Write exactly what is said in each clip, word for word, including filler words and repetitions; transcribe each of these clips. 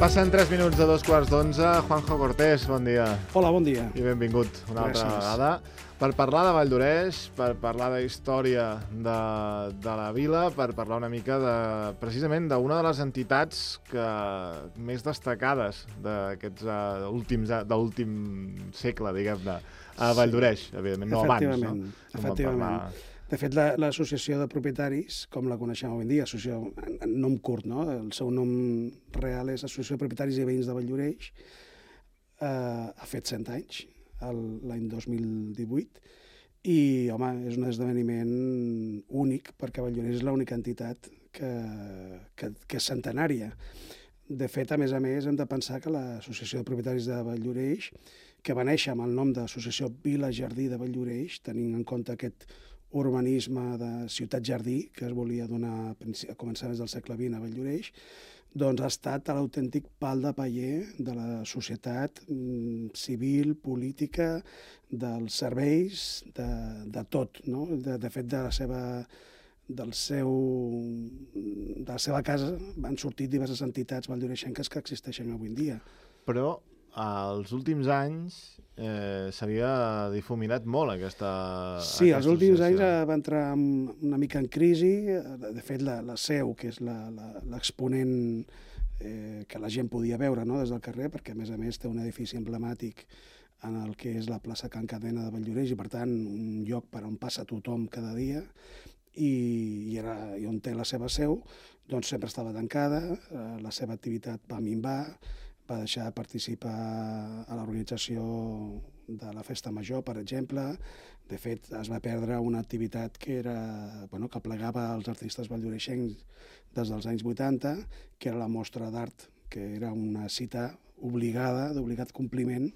Passen tres minuts de dos quarts d'onze. Juanjo Cortés, bon dia. Hola, bon dia. I benvingut una Gràcies. altra vegada. Per parlar de Valldoreix, per parlar de història de, de la vila, per parlar una mica de, precisament d'una de les entitats que, més destacades d'aquests uh, últims, de l'últim segle, diguem-ne, a Valldoreix, sí. Evidentment, no abans, no? Efectivament. De fet, l'associació de propietaris, com la coneixem avui en dia, associació en nom curt, no? El seu nom real és Associació de Propietaris i Veïns de Valldoreix, eh, ha fet cent anys, l'any dos mil divuit, i, home, és un esdeveniment únic, perquè Valldoreix és l'única entitat que, que, que és centenària. De fet, a més a més, hem de pensar que l'Associació de Propietaris de Valldoreix, que va néixer amb el nom d'Associació Vila Jardí de Valldoreix, tenint en compte aquest urbanisme de ciutat-jardí que es volia donar a començaments del segle vint a Valldoreix, doncs ha estat l'autèntic pal de paller de la societat civil, política, dels serveis, de, de tot, no? De, de fet, de la seva, del seu, de la seva casa han sortit diverses entitats valldoreixenques que existeixen avui en dia. Però als últims anys eh, s'havia difuminat molt aquesta Sí, aquesta els últims associació. anys va entrar una mica en crisi. De fet, la, la seu, que és l'exponent eh, que la gent podia veure, no?, des del carrer, perquè a més a més té un edifici emblemàtic en el que és la plaça Can Cadena de Valldoreix i, per tant, un lloc per on passa tothom cada dia, i, i, era, i on té la seva seu, doncs sempre estava tancada, eh, la seva activitat va minvar, va deixar de participar a l'organització de la Festa Major, per exemple. De fet, es va perdre una activitat que era, bueno, que plegava els artistes valldoreixencs des dels anys vuitanta, que era la mostra d'art, que era una cita obligada, d'obligat compliment,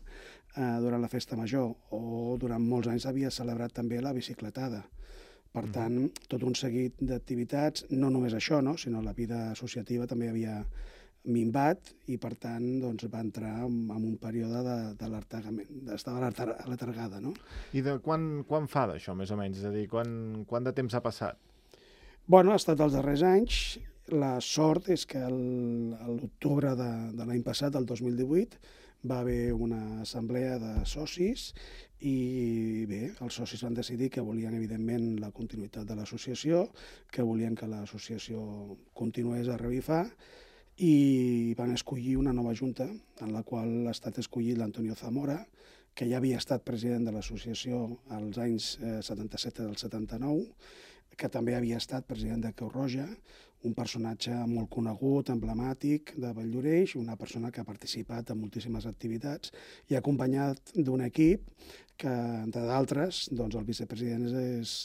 eh, durant la Festa Major, o durant molts anys havia celebrat també la bicicletada. Per tant, tot un seguit d'activitats, no només això, no?, sinó la vida associativa també havia minvat i, per tant, doncs, va entrar en un període de, de l'artagament, estava letargada, no? I de quan, quan fa d'això, més o menys? És a dir, quan, quant de temps ha passat? Bueno, ha estat els darrers anys. La sort és que a l'octubre de, de l'any passat, el dos mil divuit, va haver una assemblea de socis i, bé, els socis van decidir que volien, evidentment, la continuïtat de l'associació, que volien que l'associació continués a revifar, i van escollir una nova junta, en la qual ha estat escollit l'Antonio Zamora, que ja havia estat president de l'associació als anys setanta-set del setanta-nou, que també havia estat president de Creu Roja, un personatge molt conegut, emblemàtic de Valldoreix, una persona que ha participat en moltíssimes activitats i acompanyat d'un equip que, entre d'altres, doncs el vicepresident és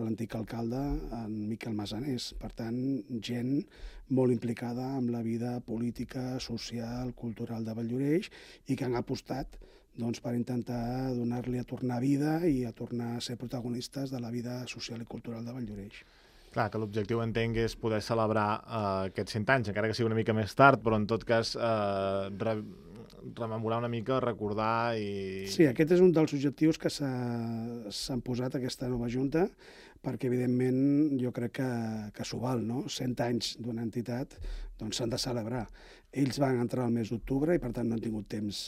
l'antic alcalde, en Miquel Massanés. Per tant, gent molt implicada amb la vida política, social, cultural de Valldoreix i que han apostat doncs, per intentar donar-li a tornar vida i a tornar a ser protagonistes de la vida social i cultural de Valldoreix. Clar, que l'objectiu, entenc, és poder celebrar eh, aquests cent anys, encara que sigui una mica més tard, però en tot cas eh, re rememorar una mica, recordar i... Sí, aquest és un dels objectius que s'han posat aquesta nova junta, perquè, evidentment, jo crec que, que s'ho val, no? cent anys d'una entitat doncs s'han de celebrar. Ells van entrar al mes d'octubre i, per tant, no han tingut temps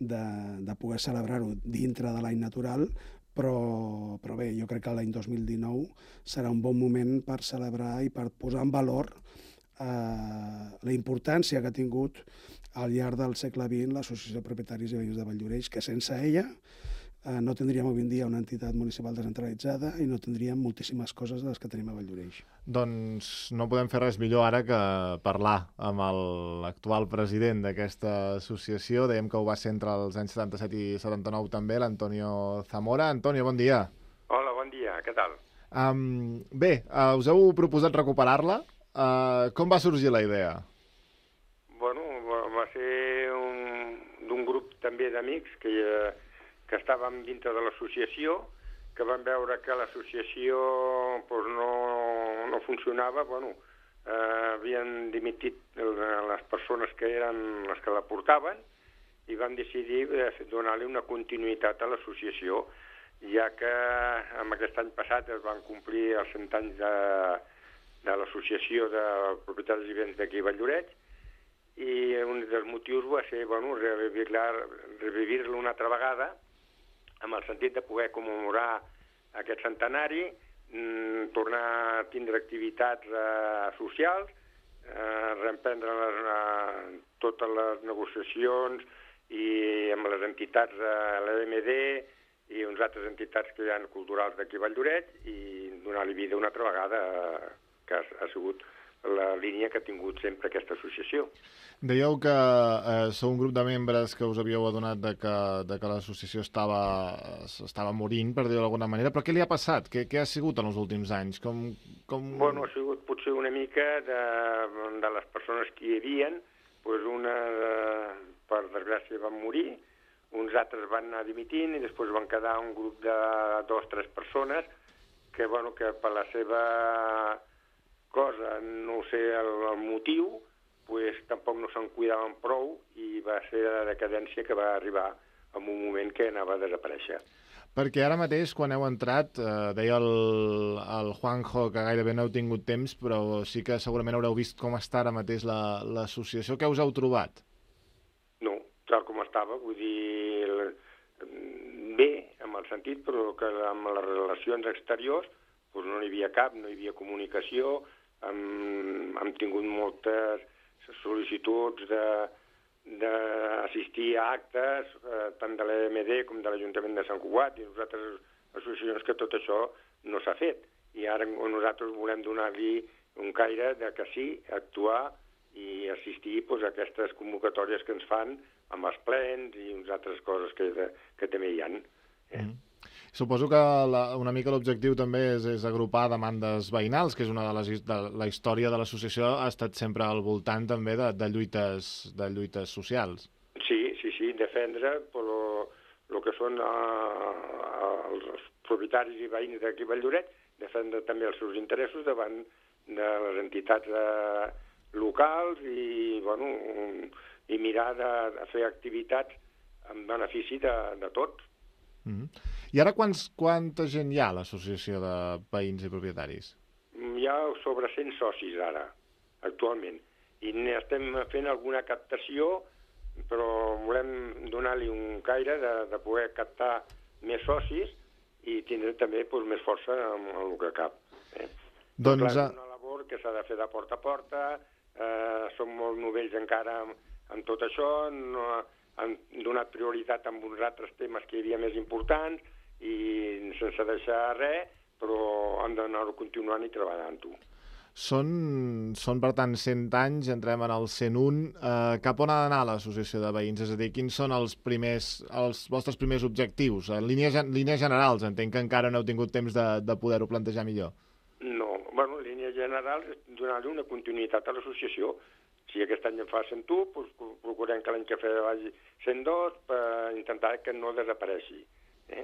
de, de poder celebrar-ho dintre de l'any natural, però, però bé, jo crec que l'any dos mil dinou serà un bon moment per celebrar i per posar en valor eh, la importància que ha tingut al llarg del segle vint l'Associació de Propietaris i Veïns de Valldoreix, que sense ella eh, no tindríem avui en dia una entitat municipal descentralitzada i no tindríem moltíssimes coses de les que tenim a Valldoreix. Doncs no podem fer res millor ara que parlar amb l'actual president d'aquesta associació. Dèiem que ho va ser entre els anys setanta-set i setanta-nou també, l'Antonio Zamora. Antonio, bon dia. Hola, bon dia, què tal? Um, bé, uh, us heu proposat recuperar-la. Uh, com va sorgir la idea? Bueno, va ser d'un grup també d'amics que, que estàvem dintre de l'associació, que van veure que l'associació pues, no, no funcionava, bueno, eh, havien dimitit les persones que eren les que la portaven i van decidir donar-li una continuïtat a l'associació, ja que en aquest any passat es van complir els cent anys de, de l'associació de propietaris i béns d'aquí a Valldoreix i un dels motius va ser, bueno, revivir-lo una altra vegada, amb el sentit de poder commemorar aquest centenari, mm, tornar a tindre activitats eh, socials, eh, reemprendre les, eh, totes les negociacions i amb les entitats de l'E M D i uns altres entitats que hi ha culturals d'aquí a Valldoreix i donar-li vida una altra vegada, eh, que ha, ha sigut la línia que ha tingut sempre aquesta associació. Dèieu que eh, sou un grup de membres que us havíeu adonat de que, de que l'associació estava, estava morint, per dir-ho d'alguna manera, però què li ha passat? Què, què ha sigut en els últims anys? Com, com... Bueno, ha sigut potser una mica de, de les persones que hi havia, doncs una, de, per desgràcia, van morir, uns altres van anar dimitint i després van quedar un grup de dos o tres persones que, bueno, que per la seva cosa, no sé el, el motiu, pues, tampoc no se'n cuidaven prou i va ser la decadència que va arribar en un moment que anava a desaparèixer. Perquè ara mateix, quan heu entrat, eh, deia el, el Juanjo que gairebé no heu tingut temps, però sí que segurament haureu vist com està ara mateix l'associació. La, Què us heu trobat? No, tal com estava, vull dir, el, bé, en el sentit, però que amb les relacions exteriors pues, no n'hi havia cap, no hi havia comunicació, hem, hem tingut moltes sol·licituds d'assistir a actes, eh, tant de l'E M D com de l'Ajuntament de Sant Cugat i nosaltres associacions que tot això no s'ha fet. I ara nosaltres volem donar-li un caire de que sí, actuar i assistir pues, a aquestes convocatòries que ens fan amb els plens i unes altres coses que, de, que també hi ha. Eh? Mm. Suposo que la, una mica l'objectiu també és, és agrupar demandes veïnals, que és una de les de la història de l'associació ha estat sempre al voltant també de, de, lluites, de lluites socials. Sí, sí, sí, defendre però el que són uh, els propietaris i veïns d'aquí a Valldoreix, defendre també els seus interessos davant de les entitats uh, locals i, bueno, um, i mirar de, de fer activitats en benefici de, de tots. Mm-hmm. I ara quants, quanta gent hi ha a l'associació de veïns i propietaris? Hi ha sobre cent socis ara, actualment. I estem fent alguna captació, però volem donar-li un caire de, de poder captar més socis i tindre també doncs, més força en, en el que cap. Eh? Doncs... Clar, és una labor que s'ha de fer de porta a porta, eh, som molt novells encara en, en tot això, no, han donat prioritat a uns altres temes que hi havia més importants, i sense deixar res, però han d'anar continuant i treballant-ho. Són, són, per tant, cent anys, entrem en el cent un. Eh, cap on ha d'anar l'associació de veïns? És a dir, quins són els primers, els vostres primers objectius? En línies, línies generals, entenc que encara no heu tingut temps de, de poder-ho plantejar millor. No, bueno, en línies generals és donar-li una continuïtat a l'associació. Si aquest any en fa cent u, doncs procurem que l'any que ve vagi cent dos per intentar que no desapareixi. Eh?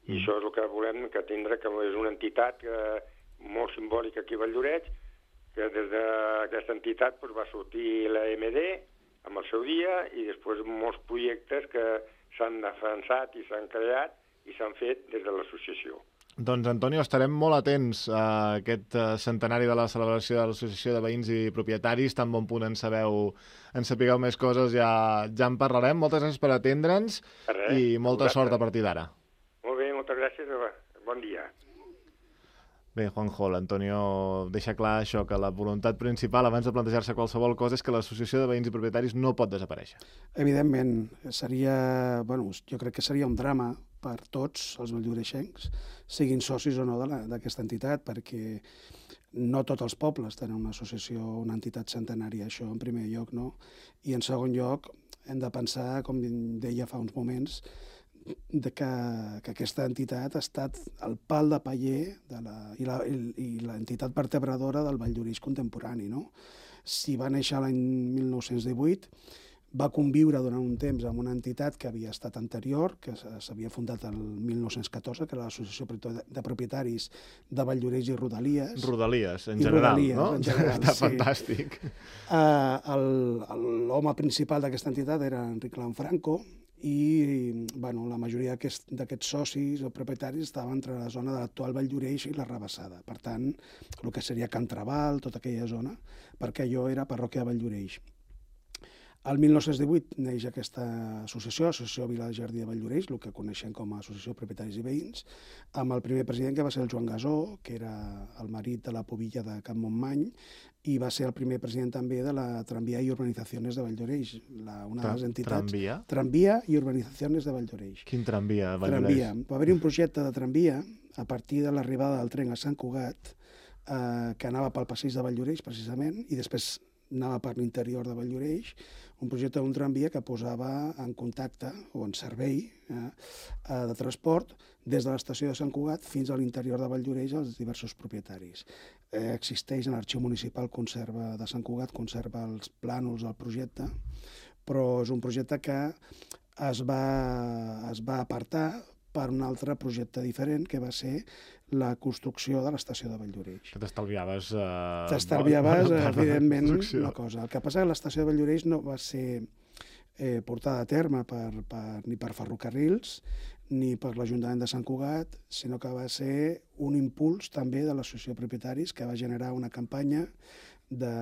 I mm. això és el que volem, que tindre, que és una entitat que, molt simbòlica aquí a Valldoreix, que des d'aquesta entitat doncs, va sortir l'E M D amb el seu dia i després molts projectes que s'han defensat i s'han creat i s'han fet des de l'associació. Doncs, Antonio, estarem molt atents a aquest centenari de la celebració de l'Associació de Veïns i Propietaris. Tan bon punt en sabeu, en sapigueu més coses, ja, ja en parlarem. Moltes gràcies per atendre'ns i molta sort a partir d'ara. Molt bé, moltes gràcies. Bon dia. Bé, Juanjo, l'Antonio deixa clar això, que la voluntat principal abans de plantejar-se qualsevol cosa és que l'Associació de Veïns i Propietaris no pot desaparèixer. Evidentment, seria, bueno, jo crec que seria un drama per tots els valldoreixencs, siguin socis o no d'aquesta entitat, perquè no tots els pobles tenen una associació, una entitat centenària, això en primer lloc, no? I en segon lloc, hem de pensar, com deia fa uns moments, de que, que aquesta entitat ha estat el pal de paller de la, i l'entitat vertebradora del Valldoreix contemporani. No? Si va néixer l'any mil nou-cents divuit, va conviure durant un temps amb una entitat que havia estat anterior, que s'havia fundat el mil nou-cents catorze, que era l'Associació de Propietaris de Valldoreix i Rodalies. Rodalies, en general, Rodalies, no? En general, està sí. Fantàstic. Uh, L'home principal d'aquesta entitat era Enric Lanfranco, i bueno, la majoria d'aquests socis o propietaris estaven entre la zona de l'actual Valldoreix i la Rabassada. Per tant, el que seria Can Trabal, tota aquella zona, perquè allò era parròquia de Valldoreix. El mil nou-cents divuit neix aquesta associació, Associació Vila de Jardí de Valldoreix, el que coneixem com a Associació de Propietaris i Veïns, amb el primer president que va ser el Joan Gasó, que era el marit de la Pobilla de Can Montmany, i va ser el primer president també de la Tramvia i Urbanizaciones de Valldoreix, la, una de les entitats... Tramvia? Tramvia i Urbanizaciones de Valldoreix. Quin tramvia de Valldoreix? Tramvia. Va haver-hi un projecte de tramvia a partir de l'arribada del tren a Sant Cugat, eh, que anava pel passeig de Valldoreix, precisament, i després anava per l'interior de Valldoreix, un projecte d'un tramvia que posava en contacte o en servei eh, de transport des de l'estació de Sant Cugat fins a l'interior de Valldoreix als diversos propietaris. Eh, existeix en l'arxiu municipal conserva de Sant Cugat, conserva els plànols del projecte, però és un projecte que es va, es va apartar per un altre projecte diferent, que va ser la construcció de l'estació de Valldoreix. Que t'estalviaves... Eh, T'estalviaves, eh, evidentment, una cosa. El que passa és que l'estació de Valldoreix no va ser eh, portada a terme per, per, ni per ferrocarrils ni per l'Ajuntament de Sant Cugat, sinó que va ser un impuls també de l'Associació de Propietaris que va generar una campanya de,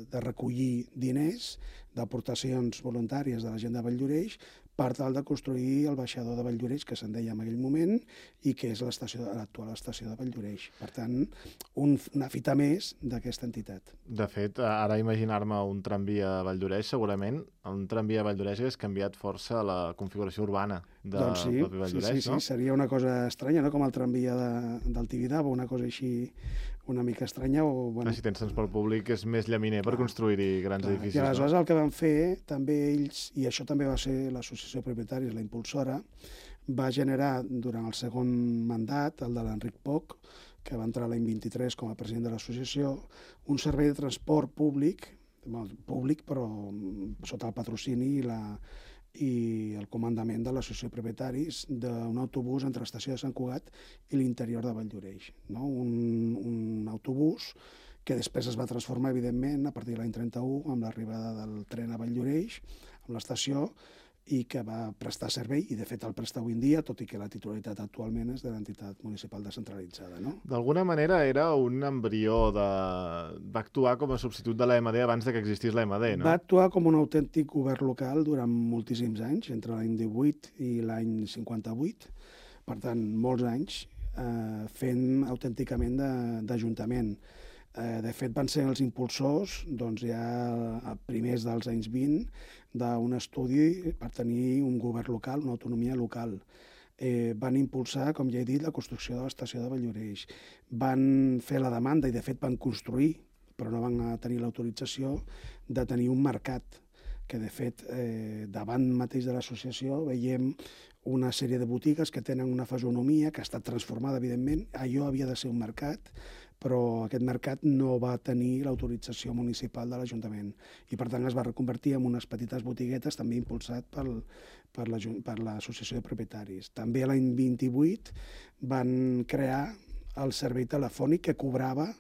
de recollir diners d'aportacions voluntàries de la gent de Valldoreix per tal de construir el baixador de Valldoreix, que se'n deia en aquell moment, i que és l'actual estació de Valldoreix. Per tant, un, una fita més d'aquesta entitat. De fet, ara imaginar-me un tramvia a Valldoreix, segurament un tramvia a Valldoreix hagués canviat força la configuració urbana de doncs sí, propi Valldoreix, sí, sí, no? Sí, seria una cosa estranya, no? Com el tramvia de, del Tibidabo, una cosa així una mica estranya. O, bueno, si tens transport públic és més llaminer clar, per construir-hi grans clar, edificis. I aleshores no? El que van fer també ells, i això també va ser l'associació de propietaris, la impulsora, va generar durant el segon mandat, el de l'Enric Poch, que va entrar l'any vint-i-tres com a president de l'associació, un servei de transport públic, bueno, públic però sota el patrocini i la i el comandament de l'associació de propietaris d'un autobús entre l'estació de Sant Cugat i l'interior de Valldoreix. No? Un, un autobús que després es va transformar, evidentment, a partir de l'any trenta-u, amb l'arribada del tren a Valldoreix, amb l'estació, i que va prestar servei, i de fet el presta avui en dia, tot i que la titularitat actualment és de l'entitat municipal descentralitzada. No? D'alguna manera era un embrió de... va actuar com a substitut de l'A M D abans de que existís l'A M D, no? Va actuar com un autèntic govern local durant moltíssims anys, entre l'any divuit i l'any cinquanta-vuit, per tant, molts anys, eh, fent autènticament d'Ajuntament. Eh, de fet, van ser els impulsors, doncs, ja a primers dels anys vint, d'un estudi per tenir un govern local, una autonomia local. Eh, van impulsar, com ja he dit, la construcció de l'estació de Valldoreix. Van fer la demanda, i de fet van construir, però no van tenir l'autorització de tenir un mercat, que de fet, eh, davant mateix de l'associació veiem una sèrie de botigues que tenen una fisonomia que ha estat transformada, evidentment. Allò havia de ser un mercat, però aquest mercat no va tenir l'autorització municipal de l'Ajuntament i, per tant, es va reconvertir en unes petites botiguetes, també impulsat pel, per l'Associació de Propietaris. També l'any vint-i-vuit van crear el servei telefònic que cobrava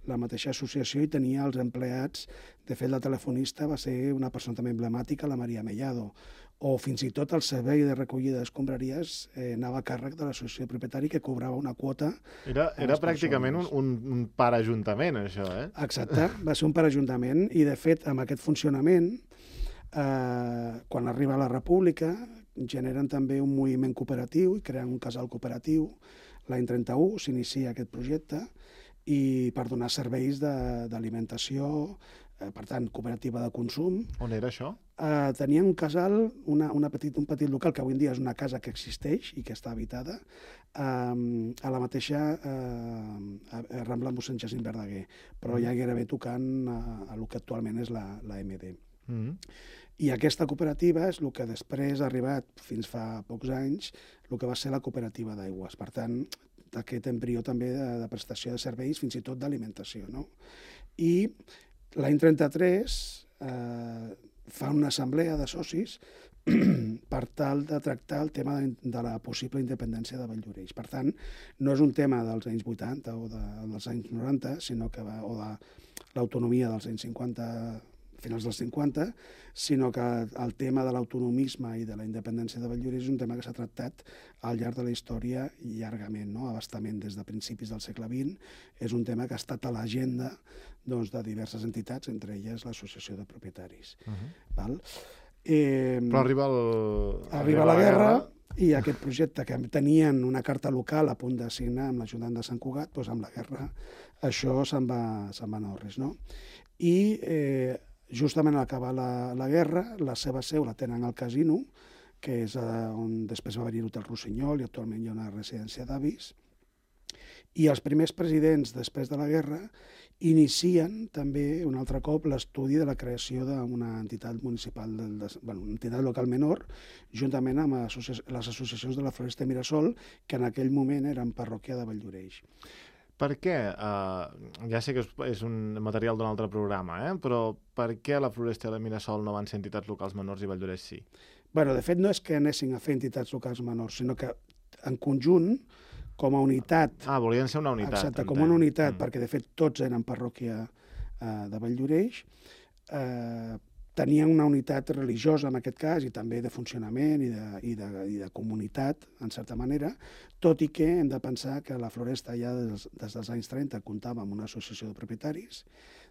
la mateixa associació i tenia els empleats. De fet, la telefonista va ser una persona també emblemàtica, la Maria Mellado, o fins i tot el servei de recollida d'escombraries eh, anava a càrrec de l'associació de propietari, que cobrava una quota. Era, era pràcticament un, un, un parajuntament, això, eh? Exacte, va ser un parajuntament, i de fet, amb aquest funcionament, eh, quan arriba la República, generen també un moviment cooperatiu i creen un casal cooperatiu. L'any trenta-u s'inicia aquest projecte, i per donar serveis d'alimentació, eh, per tant, cooperativa de consum. On era això? Eh, tenien un casal, una, una petit, un petit local, que avui en dia és una casa que existeix i que està habitada, eh, a la mateixa eh, a Rambla mossèn Jacint Verdaguer, però mm. ja gairebé tocant a, a el que actualment és la, la M D. Mm. I aquesta cooperativa és el que després ha arribat, fins fa pocs anys, el que va ser la cooperativa d'aigües. Per tant, aquest embrió també de, de prestació de serveis, fins i tot d'alimentació. No? I l'any trenta-tres eh, fa una assemblea de socis per tal de tractar el tema de, de la possible independència de Valldoreix. Per tant, no és un tema dels anys vuitanta o de, dels anys noranta, sinó que va, o de l'autonomia dels anys cinquanta, finals dels cinquanta, sinó que el tema de l'autonomisme i de la independència de Valldoreix és un tema que s'ha tractat al llarg de la història llargament, no? Abastament des de principis del segle vint. És un tema que ha estat a l'agenda doncs, de diverses entitats, entre elles l'Associació de Propietaris. Uh-huh. Val? Eh, Però arriba, el... arriba la guerra i aquest projecte que tenien una carta local a punt de signar amb l'Ajuntament de Sant Cugat, doncs amb la guerra això se'n va, se'n va anar a res, no? I eh, justament al acabar la, la guerra, la seva seu la tenen al casino, que és eh, on després va venir l'Hotel Rossinyol i actualment hi ha una residència d'avis. I els primers presidents, després de la guerra, inicien també un altre cop l'estudi de la creació d'una entitat municipal, del, de, bueno, una entitat local menor, juntament amb associ les associacions de la Floresta i Mirasol, que en aquell moment eren parròquia de Valldoreix. Per què, eh, ja sé que és un material d'un altre programa, eh? Però per què la Floresta i la Mirasol no van ser entitats locals menors i Valldoreix sí? Bueno, de fet, no és que anessin a fer entitats locals menors, sinó que en conjunt, com a unitat... Ah, volien ser una unitat. Exacte, com una unitat, mm. perquè de fet tots eren parròquia eh, de Valldoreix, eh, tenien una unitat religiosa en aquest cas i també de funcionament i de, i de, i de comunitat, en certa manera, tot i que hem de pensar que la Floresta ja des, des dels anys trenta comptava amb una associació de propietaris,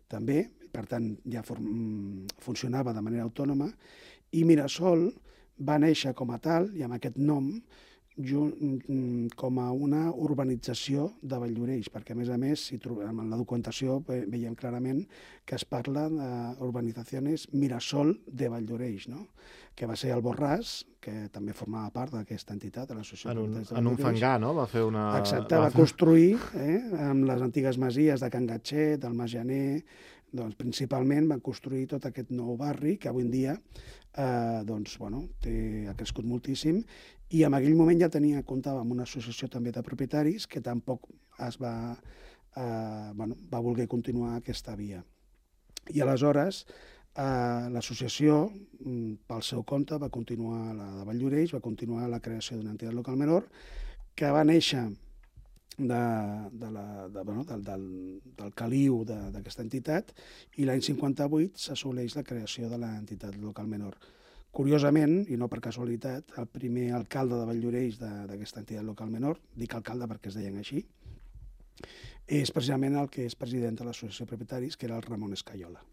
també, per tant ja form, funcionava de manera autònoma, i Mirasol va néixer com a tal, i amb aquest nom, com a una urbanització de Valldoreix, perquè a més a més, si trobem en la documentació, veiem clarament que es parla d'urbanitzacions Mirasol de Valldoreix, no? Que va ser el Borràs, que també formava part d'aquesta entitat, de l'associació de Propietaris de Valldoreix. En un fangar, no? Va fer una... Exacte, va construir eh, amb les antigues masies de Can Gatxet, del Mas Janer, doncs principalment van construir tot aquest nou barri que avui en dia eh, doncs, bueno, té, ha crescut moltíssim, i en aquell moment ja tenia, comptava amb una associació també de propietaris que tampoc es va, eh, bueno, va voler continuar aquesta via. I aleshores eh, l'associació, pel seu compte, va continuar la de Valldoreix, va continuar la creació d'una entitat local menor que va néixer de, de la, de, bueno, del, del, del caliu d'aquesta entitat, i l'any cinquanta-vuit s'assoleix la creació de l'entitat local menor. Curiosament, i no per casualitat, el primer alcalde de Valldoreix d'aquesta entitat local menor, dic alcalde perquè es deien així, és precisament el que és president de l'Associació de Propietaris, que era el Ramon Escaiola.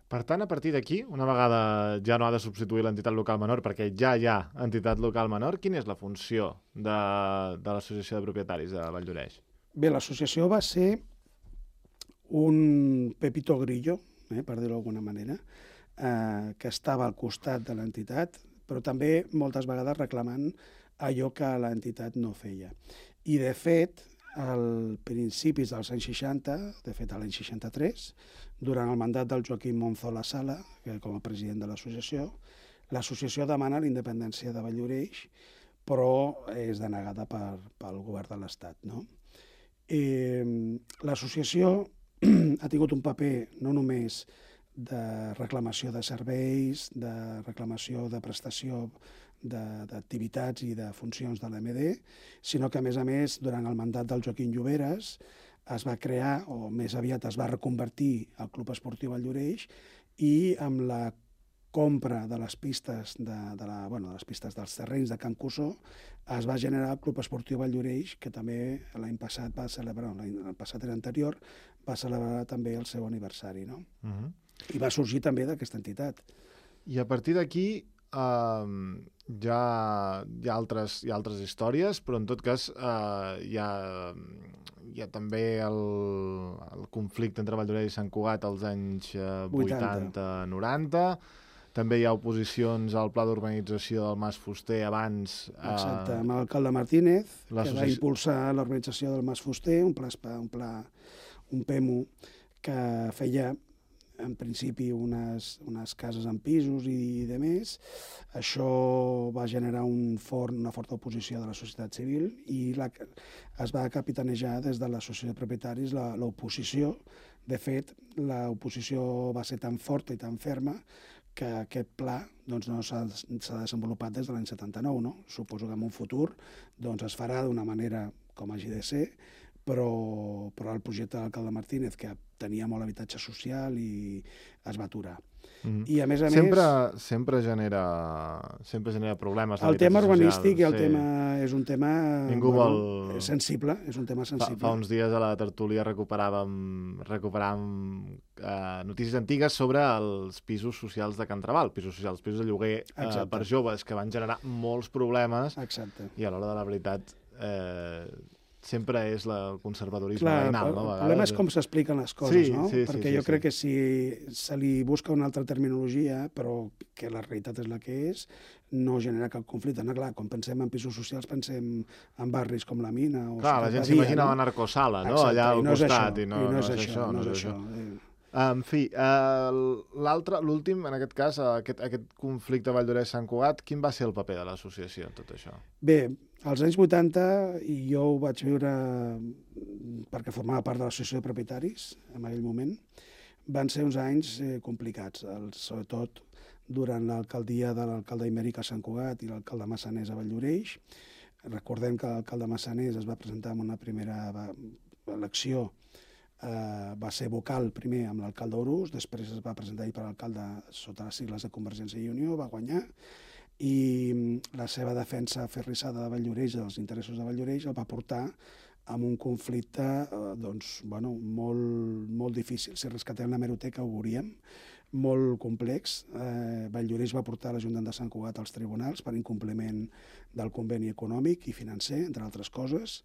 Per tant, a partir d'aquí, una vegada ja no ha de substituir l'entitat local menor, perquè ja hi ha entitat local menor, quina és la funció de, de l'Associació de Propietaris de Valldoreix? Bé, l'associació va ser un pepito grillo, eh, per dir-ho d'alguna manera, eh, que estava al costat de l'entitat, però també moltes vegades reclamant allò que l'entitat no feia. I, de fet, als principis dels anys seixanta, de fet a l'any seixanta-tres, durant el mandat del Joaquim Monzola Sala, que com a president de l'associació, l'associació demana la independència de Valldoreix, però és denegada per, pel govern de l'Estat, no? Eh, l'associació ha tingut un paper no només de reclamació de serveis, de reclamació de prestació d'activitats i de funcions de l'E M D, sinó que, a més a més, durant el mandat del Joaquim Lloberes es va crear, o més aviat es va reconvertir al Club Esportiu Valldoreix, i amb la compra de les pistes, de, de la, bueno, de les pistes dels terrenys de Can Cussó, es va generar el Club Esportiu Valldoreix, que també l'any passat va celebrar, l'any passat era anterior, va celebrar també el seu aniversari, no? Uh-huh. I va sorgir també d'aquesta entitat. I a partir d'aquí uh, ja hi ha, altres, hi ha altres històries, però en tot cas uh, hi, ha, hi ha també el, el conflicte entre Valldoreix i Sant Cugat als anys uh, vuitanta noranta. També hi ha oposicions al pla d'urbanització del Mas Fuster abans... Uh, Exacte, amb l'alcalde Martínez, que va impulsar l'urbanització del Mas Fuster, un pla, un pla, un P E M U que feia en principi unes, unes cases en pisos i de més. Això va generar un fort, una forta oposició de la societat civil i la, es va capitanejar des de l'associació de propietaris l'oposició. De fet, l'oposició va ser tan forta i tan ferma que aquest pla doncs, no s'ha desenvolupat des de l'any setanta-nou. No? Suposo que en un futur doncs, es farà d'una manera com hagi de ser, però, però el projecte de l'alcalde Martínez, que tenia molt habitatge social, i es va aturar. Mm. I a més a sempre, més... Sempre genera, sempre genera problemes. El tema urbanístic social, i el sí. tema és un tema Ningú bueno, vol... sensible, és un tema sensible. Fa, fa uns dies a la tertúlia recuperàvem, recuperàvem eh, notícies antigues sobre els pisos socials de Can Trabal, pisos socials, pisos de lloguer eh, per joves, que van generar molts problemes. Exacte. I a l'hora de la veritat... Eh, sempre és la, el conservadorisme Clar, veïnal, no? El problema és com s'expliquen les coses, sí, no? Sí, Perquè sí, jo sí, crec sí. que si se li busca una altra terminologia, però que la realitat és la que és, no genera cap conflicte. No, clar, quan pensem en pisos socials pensem en barris com la Mina o clar, la gent s'imagina no? la narcosala, no? Exacte, Allà al no costat. I no, i no, no és, és això, no és això. això. En fi, uh, l'altre, l'últim, en aquest cas, aquest, aquest conflicte Valldoreix-Sant Cugat, quin va ser el paper de l'associació en tot això? Bé, als anys vuitanta, i jo ho vaig viure perquè formava part de l'associació de propietaris en aquell moment, van ser uns anys eh, complicats, el, sobretot durant l'alcaldia de l'alcalde Imèric a Sant Cugat i l'alcalde Massanés a Valldoreix. Recordem que l'alcalde Massanés es va presentar en una primera elecció. Uh, va ser vocal primer amb l'alcalde Orús, després es va presentar per l'alcalde sota les sigles de Convergència i Unió, va guanyar, i la seva defensa aferrissada de Valldoreix, dels interessos de Valldoreix, el va portar amb un conflicte uh, doncs, bueno, molt, molt difícil. Si rescatem l'hemeroteca ho veuríem, molt complex. Uh, Valldoreix va portar l'Ajuntament de Sant Cugat als tribunals per incompliment del conveni econòmic i financer, entre altres coses,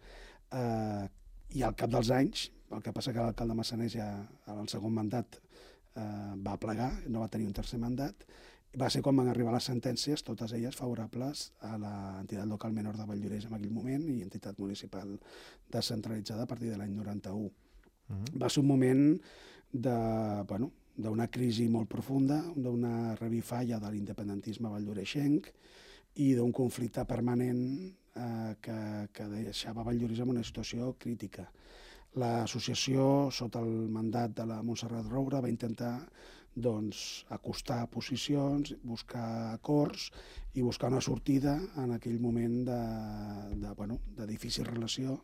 uh, i al cap dels anys, el que passa que l'alcalde Massanés ja en el segon mandat eh, va plegar, no va tenir un tercer mandat, va ser quan van arribar les sentències, totes elles favorables a l'entitat local menor de Valldoreix en aquell moment i entitat municipal descentralitzada a partir de l'any noranta-u. Uh-huh. Va ser un moment de, bueno, d'una crisi molt profunda, d'una revifalla de l'independentisme valldoreixenc i d'un conflicte permanent eh, que, que deixava Valldoreix en una situació crítica. L'associació, sota el mandat de la Montserrat Roura, va intentar doncs, acostar posicions, buscar acords i buscar una sortida en aquell moment de, de, bueno, de difícil relació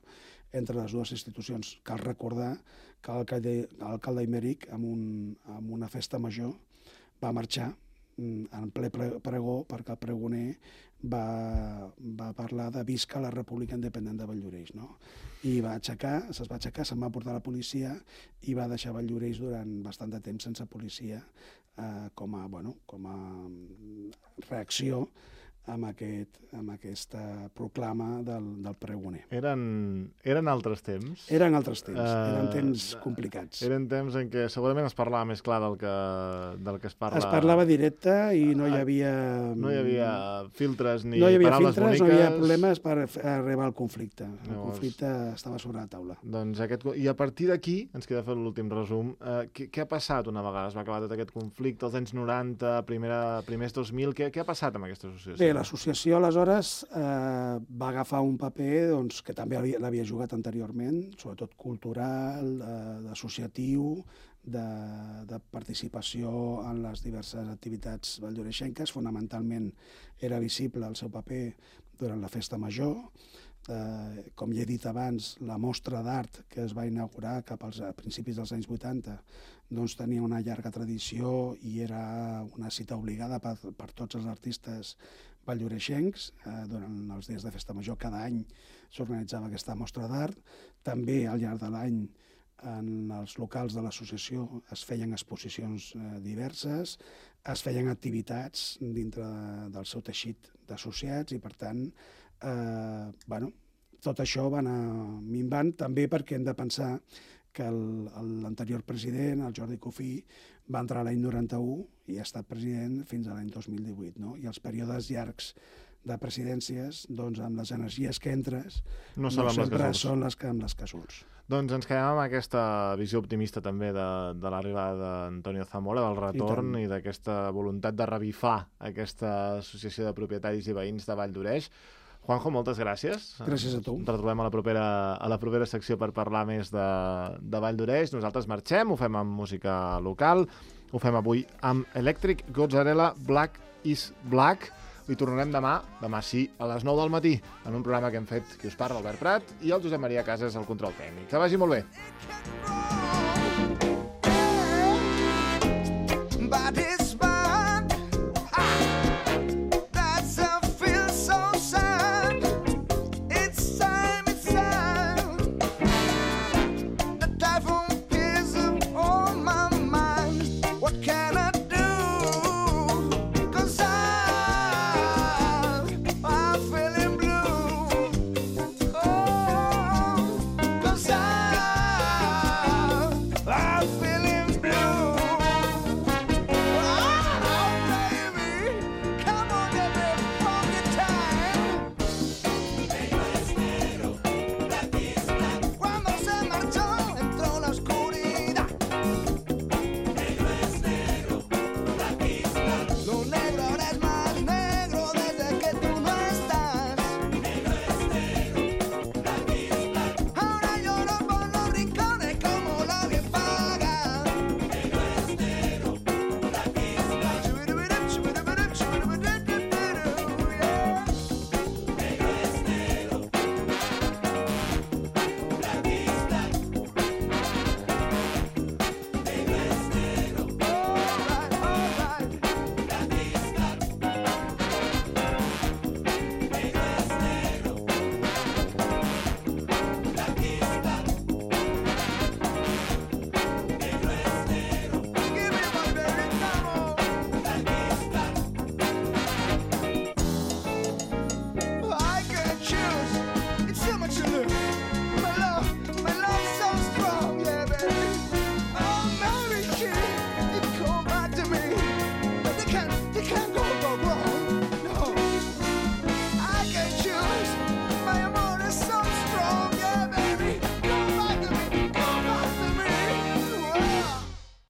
entre les dues institucions. Cal recordar que l'alcalde Imèric, en, un, en una festa major, va marxar en ple pregó perquè el pregoner va, va parlar de visca la República Independent de Valldoreix, no? I va aixecar, se'ls va aixecar, se'n va portar la policia i va deixar Valldoreix durant bastant de temps sense policia eh, com a, bueno, com a reacció amb, aquest, amb aquesta proclama del, del pregoner. Eren, eren altres temps? Eren altres temps, uh, eren temps uh, complicats. Eren temps en què segurament es parlava més clar del que, del que es parla... Es parlava directe i no hi havia... No hi havia filtres ni no hi havia paraules filtres, boniques... No hi havia problemes per arribar al conflicte. El Llavors, conflicte estava sobre la taula. Doncs aquest... I a partir d'aquí, ens queda fer l'últim resum, eh, què, què ha passat una vegada es va acabar tot aquest conflicte, els anys noranta, primera, primers dos mil, què, què ha passat amb aquesta associació? Bé, l'associació, aleshores, eh, va agafar un paper doncs, que també l'havia jugat anteriorment, sobretot cultural, eh, d'associatiu, de, de participació en les diverses activitats valldoreixenques. Fonamentalment era visible el seu paper durant la festa major. Eh, com ja he dit abans, la mostra d'art que es va inaugurar cap als principis dels anys vuitanta doncs tenia una llarga tradició i era una cita obligada per, per tots els artistes valldoreixencs. Eh, durant els dies de festa major cada any s'organitzava aquesta mostra d'art. També al llarg de l'any en els locals de l'associació es feien exposicions eh, diverses, es feien activitats dintre de, del seu teixit d'associats i per tant eh, bueno, tot això va anar minvant també perquè hem de pensar que l'anterior president, el Jordi Cofí, va entrar l'any noranta-u i ha estat president fins a l'any dos mil divuit, no? I els períodes llargs de presidències, doncs amb les energies que entres, no, no són sempre les són les que amb les que surts. Doncs ens quedem amb aquesta visió optimista també de, de l'arribada d'Antonio Zamora, del retorn i, i d'aquesta voluntat de revifar aquesta associació de propietaris i veïns de Valldoreix. Juanjo, moltes gràcies. Gràcies a tu. Ens retrobem a la propera, a la propera secció per parlar més de, de Valldoreix. Nosaltres marxem, ho fem amb música local, ho fem avui amb Electric Gozzarella Black is Black. I tornarem demà, demà sí, a les nou del matí, en un programa que hem fet qui us parla, Albert Prat, i el Josep Maria Casas al control tècnic. Que vagi molt bé.